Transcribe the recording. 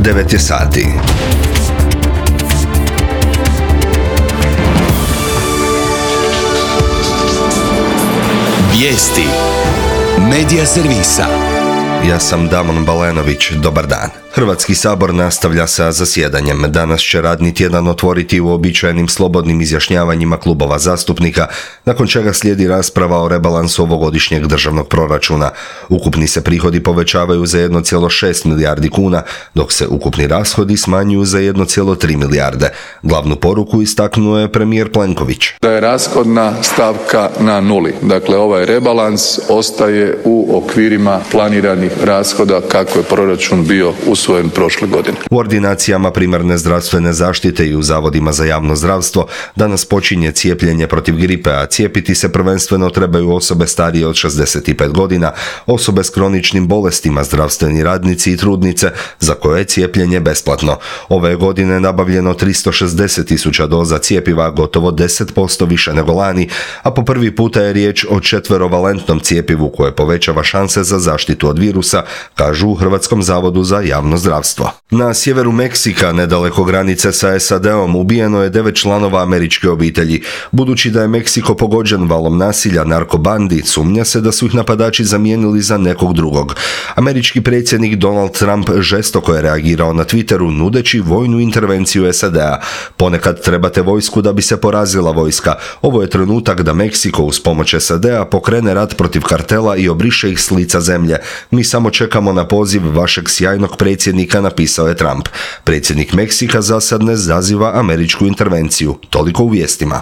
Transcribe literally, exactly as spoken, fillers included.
devet je sati. Vijesti Medija servisa. Ja sam Damon Balenović, dobar dan. Hrvatski sabor nastavlja sa zasjedanjem. Danas će radni tjedan otvoriti uobičajenim slobodnim izjašnjavanjima klubova zastupnika, nakon čega slijedi rasprava o rebalansu ovogodišnjeg državnog proračuna. Ukupni se prihodi povećavaju za jedan zarez šest milijardi kuna, dok se ukupni rashodi smanjuju za jedan zarez tri milijarde. Glavnu poruku istaknuo je premijer Plenković. Da je rashodna stavka na nuli. Dakle, ovaj rebalans ostaje u okvirima planiranih rashoda kako je proračun bio usvojen prošle godine. U ordinacijama primarne zdravstvene zaštite i u zavodima za javno zdravstvo danas počinje cijepljenje protiv gripe, a cijepiti se prvenstveno trebaju osobe starije od šezdeset pet godina, osobe s kroničnim bolestima, zdravstveni radnici i trudnice za koje je cijepljenje besplatno. Ove godine nabavljeno tristo šezdeset tisuća doza cjepiva, gotovo deset posto više nego lani, a po prvi puta je riječ o četverovalentnom cjepivu koje povećava šanse za zaštitu od virusa, kažu u Hrvatskom zavodu za javno zdravstvo. Na sjeveru Meksika, nedaleko granice sa es a de om, ubijeno je devet članova američke obitelji. Budući da je Meksiko pogođen valom nasilja narkobandi, sumnja se da su ih napadači zamijenili za nekog drugog. Američki predsjednik Donald Trump žestoko je reagirao na Twitteru nudeći vojnu intervenciju es a de a. Ponekad trebate vojsku da bi se porazila vojska. Ovo je trenutak da Meksiko uz pomoć es a de a pokrene rat protiv kartela i obriše ih s lica zemlje. Mi samo čekamo na poziv vašeg sjajnog predsjednika, napisao je Trump. Predsjednik Meksika za sad ne zaziva američku intervenciju. Toliko u vijestima.